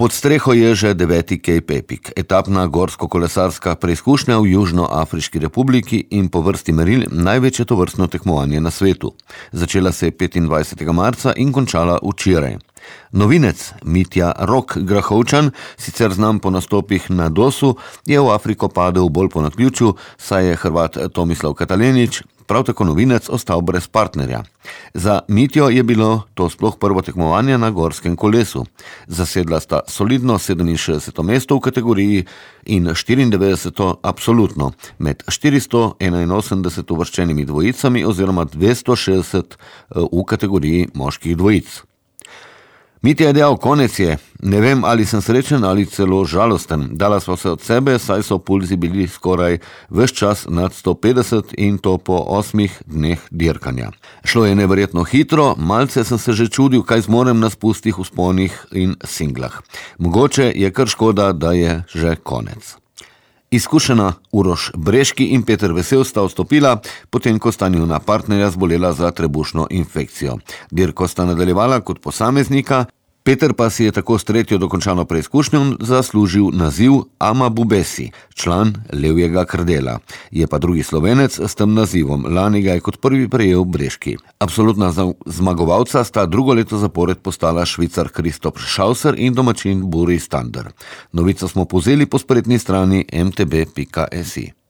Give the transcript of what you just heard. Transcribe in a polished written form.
Pod streho je že 9. Cape Epic, etapna gorsko-kolesarska preizkušnja v Južnoafriški republiki in po vrsti meril največje tovrstno tekmovanje na svetu. Začela se je 25. marca in končala včeraj. Novinec Mitja Rok Grahovčan, sicer znam po nastopih na Dosu, je v Afriko padel bolj po naključju, saj je Hrvat Tomislav Katalenić, prav tako novinec, ostal brez partnerja. Za Mitjo je bilo to sploh prvo tekmovanje na gorskem kolesu. Zasedla sta solidno 67. mesto v kategoriji in 94. absolutno, med 481 uvrščenimi dvojicami oziroma 260 v kategoriji moških dvojic. Mitja je dejal, konec je. Ne vem, ali sem srečen ali celo žalosten. Dala sva se od sebe, saj so pulzi bili skoraj ves čas nad 150 in to po 8 dneh dirkanja. Šlo je neverjetno hitro, malce sem se že čudil, kaj zmorem na spustih, vzponih in singlah. Mogoče je kar škoda, da je že konec. Izkušena Uroš Breški in Peter Vesel sta vstopila, potem ko sta njuna partnerja zbolela za trebušno infekcijo. Dirko sta nadaljevala kot posameznika, Peter pa si je tako s tretjo dokončano preizkušnjo zaslužil naziv Ama Bubesi, član Levjega krdela. Je pa drugi Slovenec s tem nazivom, lani ga je kot prvi prejel Breški. Absolutna zmagovalca sta drugo leto zapored postala Švicar Christoph Schauser in domačin Buri Stander. Novico smo povzeli po spletni strani mtb.si.